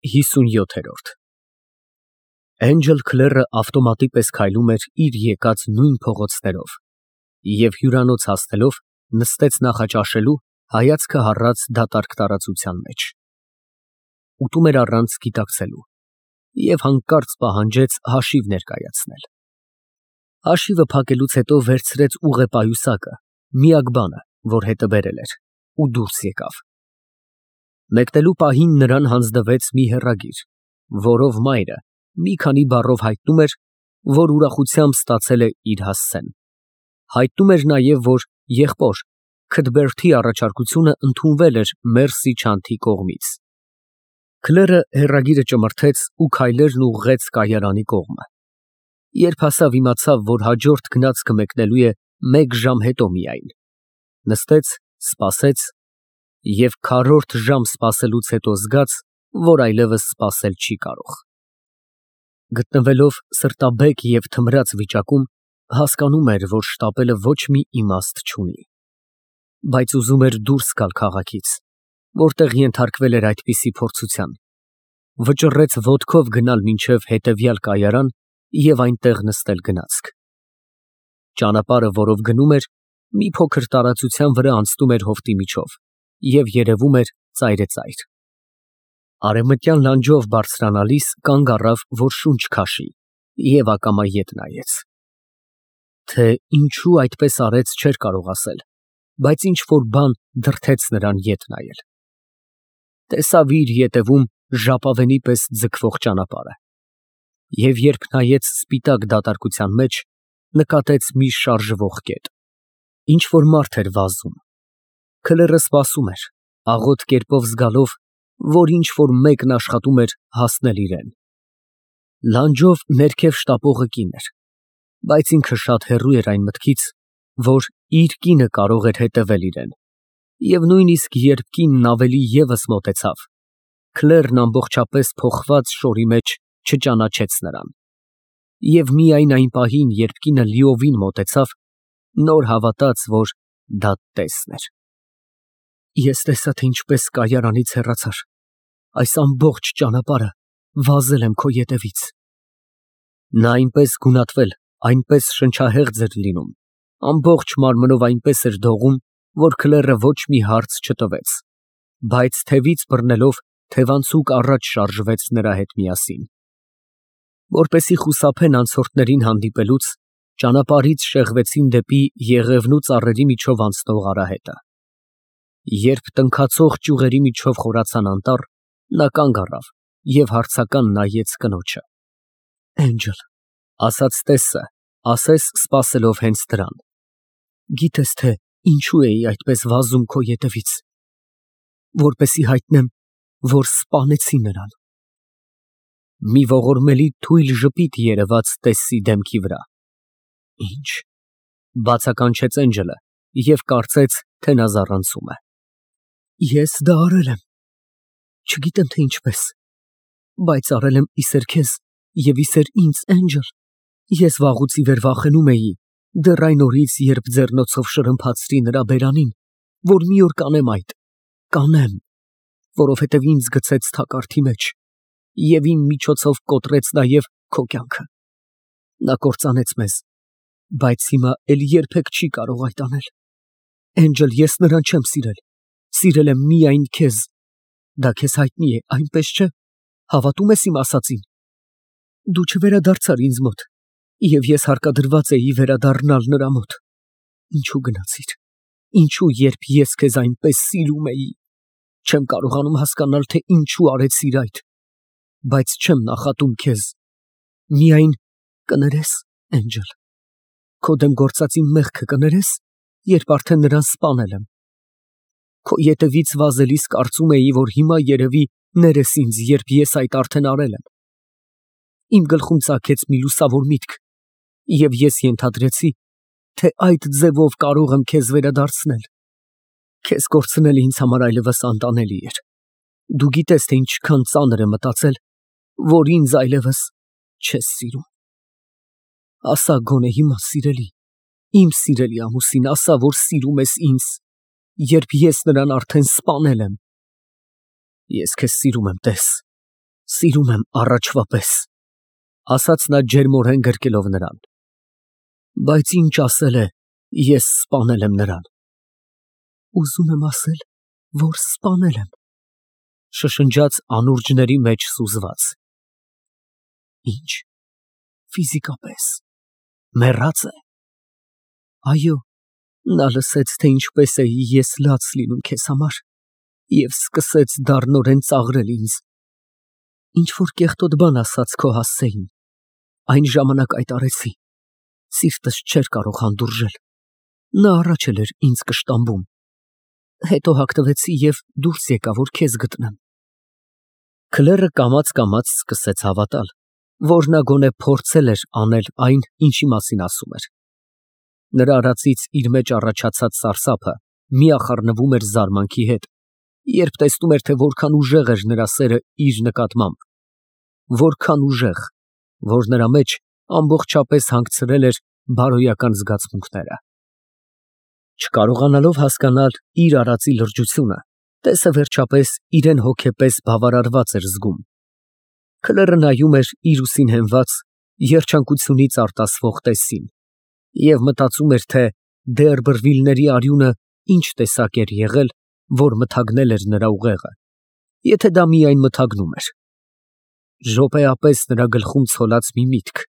57 Էնջել Քլերը ավտոմատի պես քայլում էր իր եկած նույն փողոցներով և հյուրանոց հասնելով նստեց նախաճաշելու, հայացքը հառած դատարկ տարածության մեջ։ Ուտում էր առանց գիտակցելու և հանկարծ պահանջեց հաշիվ ներկայացնել։ Հաշիվը փակելուց հետո վերցրեց ուղեպայուսակը, միակ բանը, որ հետը բերել էր, ու դուրս եկավ։ Մեկնելու պահին նրան հանձնվեց մի հեռագիր, որով մայրը մի քանի բառով հայտնում էր, որ ուրախությամբ ստացել է իր հասցեն։ Հայտնում էր նաև, որ եղբոր Քթբերթի առաջարկությունը ընդունվել էր Մերսի Չանթի կողմից։ Քլերը հեռագիրը ճմրթեց ու քայլերն ուղղեց կայարանի կողմը։ Երբ հասավ, իմացավ, որ հաջորդ գնացքը մեկնելու է 1 ժամ հետո միայն։ Նստեց, սպասեց և քառորդ ժամ սպասելուց հետո զգաց, որ այլևս սպասել չի կարող։ Գտնվելով սրտաբեկ և թմրած վիճակում, հասկանում էր, որ շտապելը ոչ մի իմաստ չունի, բայց ուզում էր դուրս գալ քաղաքից, որտեղ ենթարկվել էր այդպիսի փորձության, վճռեց ոտքով գնալ մինչև հետևյալ կայարան և այնտեղ նստել գնացք։ Ճանապարհը, որով գնում էր, մի փոքր տարածության վրա անցնում էր հովտի միջով և երևում էր ծայրեծայր։ Արևմտյան լանջով բարձրանալիս կանգ առավ, որ շունչ քաշի և ակամա ետ նայեց։ Թե ինչու այդպես արեց, չէր կարող ասել, բայց ինչ֊որ բան դրդեց նրան ետ նայել։ Տեսավ իր ետևում ժապավենի պես ձգվող ճանապարհը և երբ նայեց սպիտակ դատարկության մեջ, նկատեց մի շարժվող կետ։ Ինչ֊որ մարդ էր վազում։ Քլերը սպասում էր, աղոտ կերպով զգալով, որ ինչ֊որ մեկն աշխատում էր հասնել իրան։ Լանջով ներքև շտապողը կին էր, բայց ինքը շատ հեռու էր այն մտքից, որ իր կինը կարող էր հետևել իրան, և նույնիսկ երբ կինն ավելի ևս մոտեցավ, Քլերն ամբողջապես փոխված շորի մեջ չճանաչեց նրան։ Եվ միայն այն պահին, երբ կինը լիովին մոտեցավ, նոր հավատաց, որ դա տեսն էր։ Ես տեսա, թե ինչպես կայարանից հեռացար, այս ամբողջ ճանապարհը վազել եմ քո ետևից։ Նա այնպես գունատվել, այնպես շնչահեղձ էր լինում, ամբողջ մարմնով այնպես էր դողում, որ Քլերը ոչ մի հարց չտվեց, բայց թևից բռնելով, թևանցուկ առաջ շարժվեց նրա հետ միասին։ Որպեսզի խուսափեն անցորդներին հանդիպելուց, ճանապարհից շեղվեցին դեպի Եղևնու ծառերի միջով անցնող արահետը։ Երբ տնքացող ճյուղերի միջով խորացան անտառ, նա կանգ առավ և հարցական նայեց կնոջը։ Էնջել, ասաց տեսը, ասես սպասելով հենց դրան։ Գիտես թե ինչու էի այդպես վազում քո ետևից, որպեսզի հայտնեմ, որ սպանեցի նրան։ Մի ողորմելի թույլ ժպիտ երևաց տեսի դեմքի վրա։ Ինչ, բացականչեց Էնջելը և կարծեց, թե նա զառանցում է։ Ես դա արել եմ, չգիտեմ թե ինչպես, բայց արել եմ իսեր քեզ և իսեր ինձ, Էնջել։ Ես վաղուց ի վեր վախենում էի, դեռ այն օրից, երբ ձեռնոցով շրմփացրի նրա բերանին, որ մի օր կանեմ այդ, կանեմ, որովհետև ինձ գցեց թակարդի մեջ և իմ միջոցով կոտրեց նաև քո կյանքը։ Նա կործանեց մեզ, բայց հիմա էլ երբեք չի կարող այդ անել։ Էնջել, ես նրան չեմ սիրել, սիրել եմ միայն քեզ։ Դա քեզ հայտնի է, այնպես չէ՞, հավատում ես իմ ասածին։ Դու չվերադարձար ինձ մոտ, և ես հարկադրված էի վերադառնալ նրա մոտ։ Ինչու գնացիր, ինչու, երբ ես քեզ այնպես սիրում էի։ Չեմ կարողանում հասկանալ, թե ինչու արեցիր այդ, բայց չեմ նախատում քեզ։ Միայն կներես, Էնջել, քո դեմ գործած իմ մեղքը կներես, երբ արդեն նրան սպանել եմ։ Քո ետևից վազելիս կարծում էի, որ հիմա երևի ներես ինձ, երբ ես այդ արդեն արել եմ։ Իմ գլխում ծագեց մի լուսավոր միտք, և ես ենթադրեցի, թե այդ ձևով կարող եմ քեզ վերադարձնել։ Քեզ կորցնելը ինձ համար այլևս անտանելի էր։ Դու գիտես, թե ինչքան ծանր է մտածել, որ ինձ այլևս չես սիրում։ Ասա գոնե հիմա, սիրելի, իմ սիրելի ամուսին, ասա, որ սիրում ես ինձ, երբ ես նրան արդեն սպանել եմ։ Ես քեզ սիրում եմ, տես, Սիրում եմ առաջվա պես, ասաց նա ջերմորեն գրկելով նրան։ Բայց ինչ ասել է, ես սպանել եմ նրան։ Ուզում եմ ասել, որ սպանել եմ, շշնջաց անուրջների մեջ սուզված։ Ինչ, ֆիզիկապես, մեռած է։ Այո, նա լսեց, թե ինչպես էի ես լաց լինում քեզ համար և սկսեց դառնորեն ծաղրել ինձ։ Ինչ-որ կեղտոտ բան ասաց քո հասցեին, այն ժամանակ այդ արեցի, սիրտս չէր կարող հանդուրժել, նա առաջ էր ինձ կշտամբում, հետո հագնվեցի և դուրս եկա, որ քեզ գտնեմ։ Քլերը կամաց սկսեց հավատալ, որ նա գոնե փորձել էր անել այն, ինչի մասին ասում էր։ Նրա արածից իր մեջ առաջացած սարսափը միախառնվում էր զարմանքի հետ, երբ տեսնում էր, թե որքան ուժեղ էր նրա սերը իր նկատմամբ, որքան ուժեղ, որ նրա մեջ ամբողջապես հանգցրել էր բարոյական զգացմունքները։ Չկարողանալով հասկանալ իր արածի լրջությունը, տեսը վերջապես իրեն հոգեպես բավարարված էր զգում։ Քլերը նայում էր իր ուսին հենված, երջանկությունից արտասվող տեսին և մտածում էր, թե Դերբրվիլների արյունը ինչ տեսակ էր եղել, որ մթագնել էր նրա ուղեղը, եթե դա միայն մթագնում էր։ Րոպեապես նրա գլխում ցոլած մի միտք,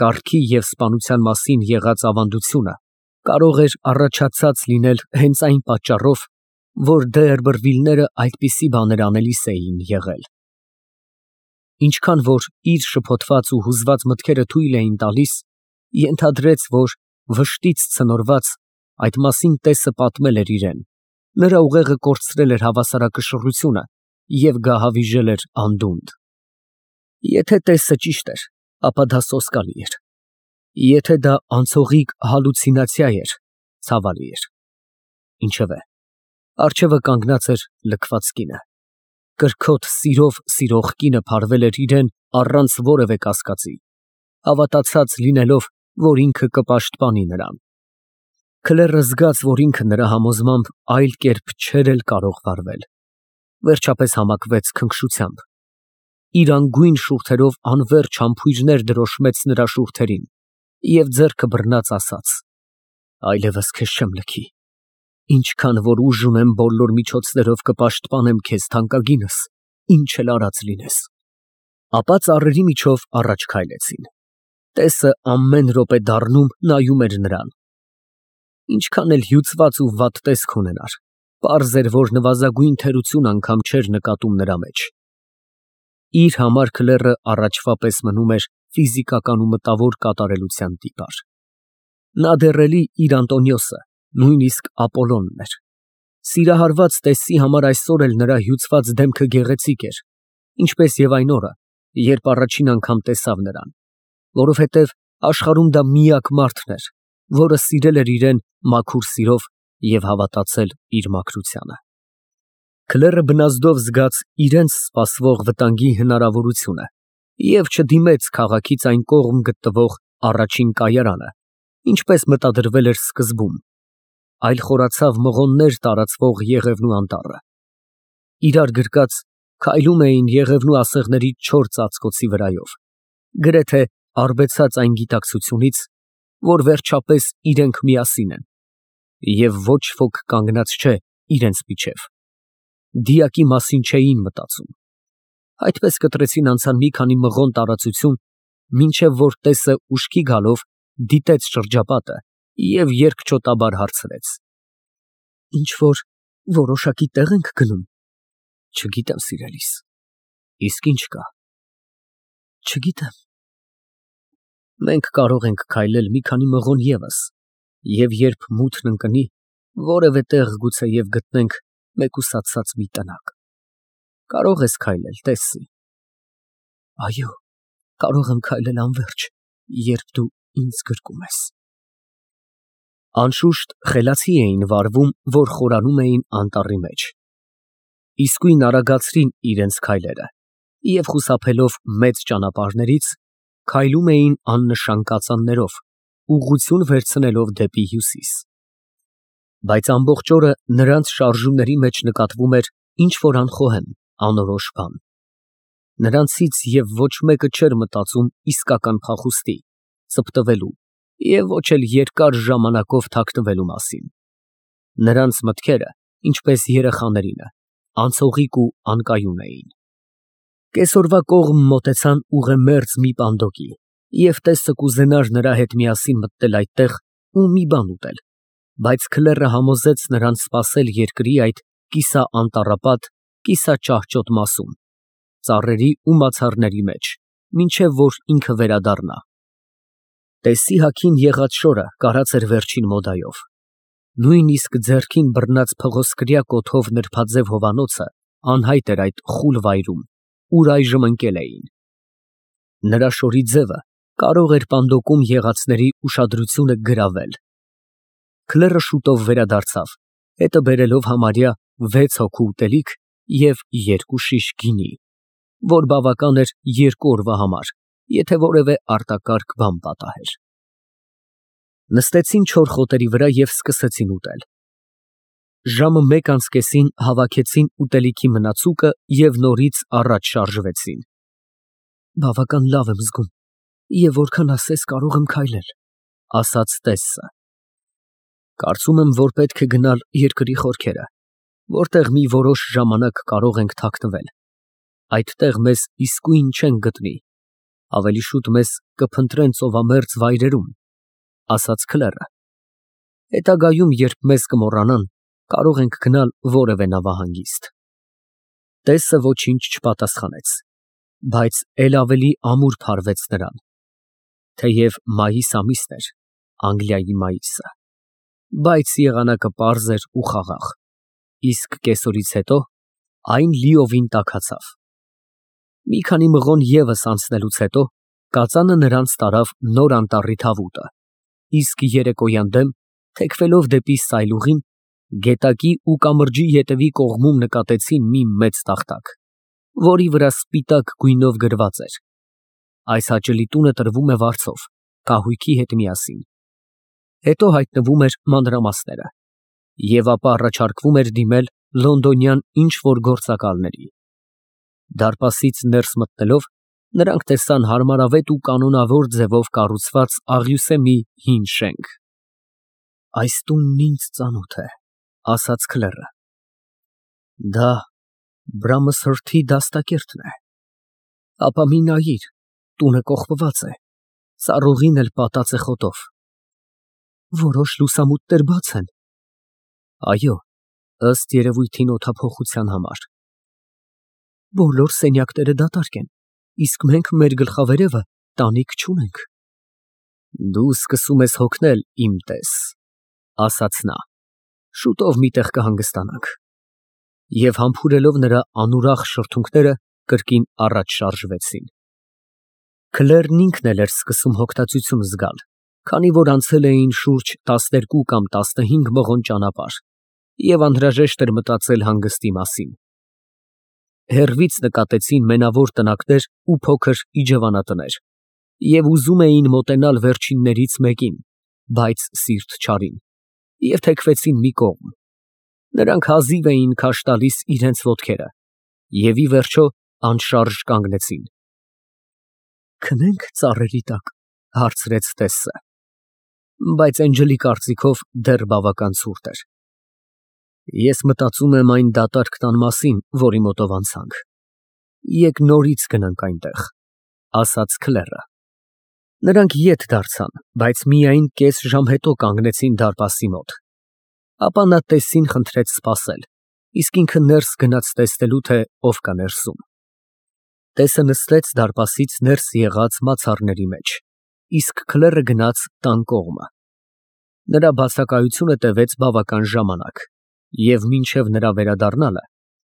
կառքի և սպանության մասին եղած ավանդությունը կարող էր առաջացած լինել հենց այն պատճառով, որ Դերբրվիլները այդպիսի բաներ անելիս էին եղել։ Ինչքան որ իր շփոթված ու հուզված մտքերը թույլ էին տալիս, ենթադրեց, որ վշտից ցնորված այդ մասին տեսը պատմել էր իրեն, նրա ուղեղը կորցրել էր հավասարակշռությունը և գահավիժել էր անդունդը։ Եթե տեսը ճիշտ էր, ապա դա սոսկալի էր, եթե դա անցողիկ հալյուցինացիա էր, ցավալի էր։ Ինչևէ, առջևը կանգնած էր լքված կինը, կրքոտ սիրով սիրող կինը փարվել էր իրեն առանց որևէ կասկածի, հավատացած լինելով, որ ինքը կպաշտպանի նրան։ Քլերը զգաց, որ ինքը նրա համոզմամբ այլ կերպ չէր էլ կարող վարվել, վերջապես համակվեց քնքշությամբ, իր անգույն շուրթերով անվերջ համբույրներ դրոշմեց նրա շուրթերին և ձեռքը բռնած ասաց. այլևս քեզ չեմ լքի, ինչքան որ ուժ ունեմ բոլոր միջոցներով կպաշտպանեմ քեզ թանկագինս, ինչ էլ արած լինես։ Ապա ծառերի միջով առաջ քայլեցին։ Տեսը ամեն րոպե դառնում նայում էր նրան։ Ինչքան էլ հյուծված ու վատ տեսք ունենար, պարզ էր, որ նվազագույն թերություն անգամ չէր նկատում նրա մեջ։ Իր համար քլերը առաջվա պես մնում էր ֆիզիկական ու մտավոր կատարելության տիպար։ Նա դեռ էլի իր Անտոնիոսը, նույնիսկ Ապոլոնն էր։ Սիրահարված տեսի համար այսօր էլ նրա հյուծված դեմքը գեղեցիկ էր, ինչպես և այն օրը, երբ առաջին անգամ տեսավ նրան, որովհետև աշխարհում դա միակ մարդն էր, որը սիրել էր իրեն մաքուր սիրով և հավատացել իր մաքրությանը։ Քլերը բնազդով զգաց իրենց սպասվող վտանգի հնարավորությունը և չդիմեց քաղաքից այն կողմ գտնվող առաջին կայարանը, ինչպես մտադրվել էր սկզբում, այլ խորացավ մղոններ տարածվող Եղևնու անտառը։ Իրար գրկած քայլում էին Եղևնու ասեղների չոր ծածկոցի վրայով, գրեթե արբեցած այն գիտակցությունից, որ վերջապես իրենք միասին են, և ոչ ոք կանգնած չէ իրենց միջև։ Դիակի մասին չէին մտածում։ Այդպես կտրեցին անցան մի քանի մղոն տարածություն, մինչև որ տեսը ուշքի գալով դիտեց շրջապատը և երկչոտաբար հարցրեց. Ինչ-որ որոշակի տեղ ենք գնում։ Չգիտեմ, սիրելիս։ Իսկ ինչ կա։ Չգիտեմ։ Մենք կարող ենք քայլել մի քանի մղոն ևս, և երբ մութն ընկնի, որևէ տեղ գուցեև գտնենք մեկուսացած մի տնակ։ Կարող ես քայլել, տես։ Այո, կարող եմ քայլել անվերջ, երբ դու ինձ գրկում ես։ Անշուշտ խելացի էին վարվում, որ խորանում էին անտառի մեջ։ Իսկույն արագացրին իրենց քայլերը և խուսափելով մեծ ճանապարհներից, քայլում էին աննշան կածաններով, ուղղություն վերցնելով դեպի հյուսիս։ Բայց ամբողջ օրը նրանց շարժումների մեջ նկատվում էր ինչ֊որ անխոհեմ, անորոշ բան։ Նրանցից և ոչ մեկը չէր մտածում իսկական փախուստի, ծպտվելու և ոչ էլ երկար ժամանակով թաքնվելու մասին։ Նրանց մտքերը, ինչպես երեխաներինը, անցողիկ ու անկայուն էին։ Կեսօրվա կողմ մոտեցան ուղեմերձ մի պանդոկի, և տեսը կուզենար նրա հետ միասին մտնել այդտեղ ու մի բան ուտել, բայց քլեռը համոզեց նրան սպասել երկրի այդ կիսաանտառապատ, կիսաճահճոտ մասում, ծառերի ու մացառների մեջ, մինչև որ ինքը վերադառնա։ Տեսի հագին եղած շորը կարած էր վերջին մոդայով։ Նույնիսկ ձեռքին բռնած փղոսկրյա կոթով նրբաձև հովանոցը անհայտ էր այդ խուլ վայրում, ուր այժմ ընկել էին։ Նրա շորի ձևը կարող էր պանդոկում եղածների ուշադրությունը գրավել։ Քլեռը շուտով վերադարձավ, հետը բերելով համարյա 6 հոգու ուտելիք և 2 շիշ գինի, որ բավական էր 2 օրվա համար, եթե որևէ արտակարգ բան պատահեր։ Նստեցին չոր խոտերի վրա և սկսեցին ուտել։ Ժամը 1:30 հավաքեցին ուտելիքի մնացուկը և նորից առաջ շարժվեցին։ Բավական լավ եմ զգում և որքան ասես կարող եմ քայլել, ասաց տեսը։ Կարծում եմ, որ պետք է գնալ երկրի խորքերը, որտեղ մի որոշ ժամանակ կարող ենք թաքնվել։ Այդտեղ մեզ իսկույն չեն գտնի, ավելի շուտ մեզ կփնտրեն ծովամերձ վայրերում, ասաց քլեռը։ Հետագայում, երբ մեզ կմոռանան, կարող ենք գնալ որևէ նավահանգիստ։ Տեսը ոչինչ չպատասխանեց, բայց էլ ավելի ամուր փարվեց նրան, թեև մայիս ամիսն էր, Անգլիայի մայիսը, բայց եղանակը պարզ էր ու խաղաղ, իսկ կեսօրից հետո այն լիովին տաքացավ։ Մի քանի մղոն ևս անցնելուց հետո կածանը նրանց տարավ նոր անտառի թավուտը, իսկ երեկոյան դեմ, թեքվելով դեպի սայլուղին, գետակի ու կամրջի ետևի կողմում նկատեցին մի մեծ տախտակ, որի վրա սպիտակ գույնով գրված էր. «Այս հաճելի տունը տրվում է վարձով, կահույքի հետ միասին»։ Հետո հայտնվում էր մանրամասները, և ապա առաջարկվում էր դիմել լոնդոնյան ինչ֊որ գործակալների։ Դարպասից ներս մտնելով, նրանք տեսան հարմարավետ ու կանոնավոր ձևով կառուցված աղյուսե մի հին շենք։ «Այս տունն ինձ ծանոթ է», ասաց քլեռը։ «Դա Բրամսհըրթի դաստակերտն է։ Ապա մի նայիր, տունը կողպված է, սառուղին էլ պատած է խոտով։ Որոշ լուսամուտներ բաց են։ Այո, ըստ երևույթին օդափոխության համար։ Բոլոր սենյակները դատարկ են, իսկ մենք մեր գլխավերևը տանիք չունենք»։ «Դու սկսում ես հոգնել, իմ տես», ասաց նա, «շուտով մի տեղ կհանգստանանք»։ Եվ համբուրելով նրա անուրախ շրթունքները, կրկին առաջ շարժվեցին։ Քլեռն ինքն էլ էր սկսում հոգնածություն զգալ, քանի որ անցել էին շուրջ 12 կամ 15 մղոն ճանապարհ, և անհրաժեշտ էր մտածել հանգստի մասին։ Հեռվից նկատեցին մենավոր տնակներ ու փոքր իջևանատներ, և ուզում էին մոտենալ վերջիններից մեկին, բայց սիրտ չարին, և թեքվեցին մի կողմ։ Նրանք հազիվ էին քաշ տալիս իրենց ոտքերը և, ի վերջո, անշարժ կանգնեցին։ «Քնե՞նք ծառերի տակ», հարցրեց տեսը, բայց Էնջլի կարծիքով դեռ բավական ցուրտ էր։ «Ես մտածում եմ այն դատարկ տան մասին, որի մոտով անցանք։ Եկ նորից գնանք այնտեղ», ասաց քլեռը։ Նրանք ետ դարձան, բայց միայն կես ժամ հետո կանգնեցին դարպասի մոտ։ Ապա նա տեսին խնդրեց սպասել, իսկ ինքը ներս գնաց տեսնելու, թե ով կա ներսում։ Տեսը նստեց դարպասից ներս եղած մացառների մեջ, իսկ քլեռը գնաց տան կողմը։ Նրա բացակայությունը տևեց բավական ժամանակ, և մինչև նրա վերադառնալը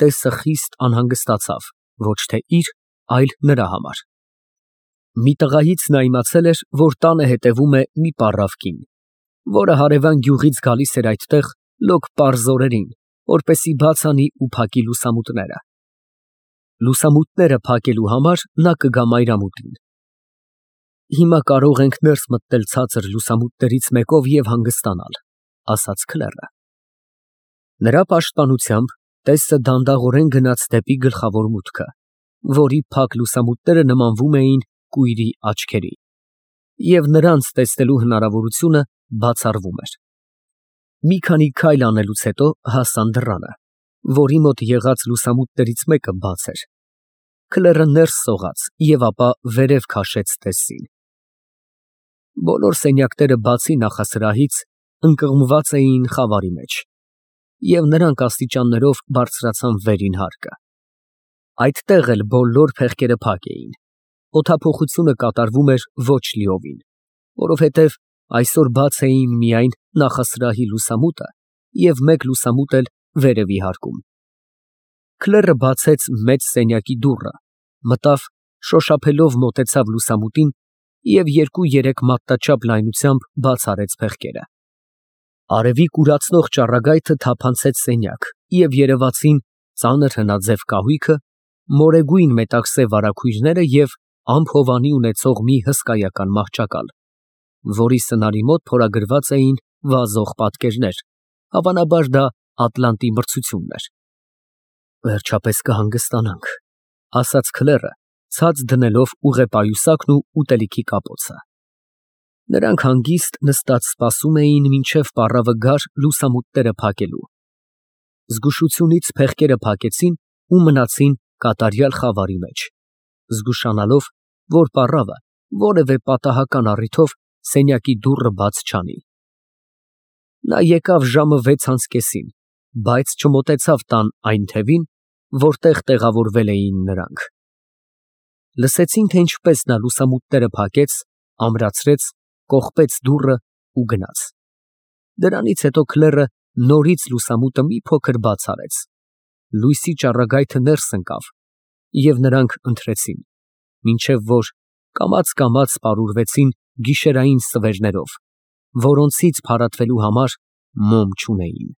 տեսը խիստ անհանգստացավ ոչ թե իր, այլ նրա համար։ Մի տղայից նա իմացել էր, որ տանը հետևում է մի պառավ կին, որը հարևան գյուղից գալիս էր այդտեղ լոկ պարզ օրերին, որպեսզի բաց անի ու փակի լուսամուտները։ Լուսամուտները փակելու համար նա կգա մայրամուտին։ «Հիմա կարող ենք ներս մտնել ցածր լուսամուտներից մեկով և հանգստանալ», ասաց քլեռը։ Նրա պաշտպանությամբ տեսը դանդաղորեն գնաց դեպի գլխավոր մուտքը, որի փակ լուսամուտները նմանվում էին կույրի աչքերի, և նրանց տեսնելու հնարավորությունը բացառվում էր։ Մի քանի քայլ անելուց հետո հասան դռանը, որի մոտ եղած լուսամուտներից մեկը բաց էր։ Քլերը ներս սողաց և ապա վերև քաշեց տեսին։ Բոլոր սենյակները բացի նախասրահից ընկղմված էին խավարի մեջ, և նրանք աստիճաններով բարձրացան վերին հարկը։ Այդտեղ էլ բոլոր փեղկերը փակ էին, օդափոխությունը կատարվում էր ոչ լիովին, որովհետև այսօր բաց էին միայն նախասրահի լուսամուտը և մեկ լուսամուտ էլ վերևի հարկում։ Քլերը բացեց մեծ սենյակի դուռը, մտավ, շոշափելով մոտեցավ լուսամուտին և 2-3 մատնաչափ լայնությամբ բաց արեց փեղկերը։ Արևի կուրացնող ճառագայթը թափանցեց սենյակ, և երևացին ծանր հնաձև կահույքը, մորեգույն մետաքսե վարագույրները և ամփովանի ունեցող մի հսկայական մահճակալ, որի սնարի մոտ փորագրված էին վազող պատկերներ, հավանաբար դա Ատլանտի մրցությունն էր։ «Վերջապես կհանգստանանք», ֊ ասաց քլերը, ցած դնելով ուղեպայուսակն ու ուտելիքի կապոցը։ Նրանք հանգիստ նստած սպասում էին, մինչև պառավը գար լուսամուտները փակելու։ Զգուշությունից փեղկերը փակեցին ու մնացին կատարյալ խավարի մեջ, զգուշանալով, որ պառավը որևէ պատահական առիթով սենյակի դուռը բաց չանի։ Նա եկավ ժամը 6:30, բայց չմոտեցավ տան այն թևին, որտեղ տեղավորվել էին նրանք։ Լսեցին, թե ինչպես նա լուսամուտները փակեց, ամրացրեց, կողպեց դուռը ու գնաց։ Դրանից հետո քլերը նորից լուսամուտը մի փոքր բաց արեց։ Լույսի ճառագայթը ներս ընկավ, և նրանք ընթրեցին, մինչև որ կամաց պարուրվեցին գիշերային ստվերներով, որոնցից փարատվելու համար մոմ չունեին։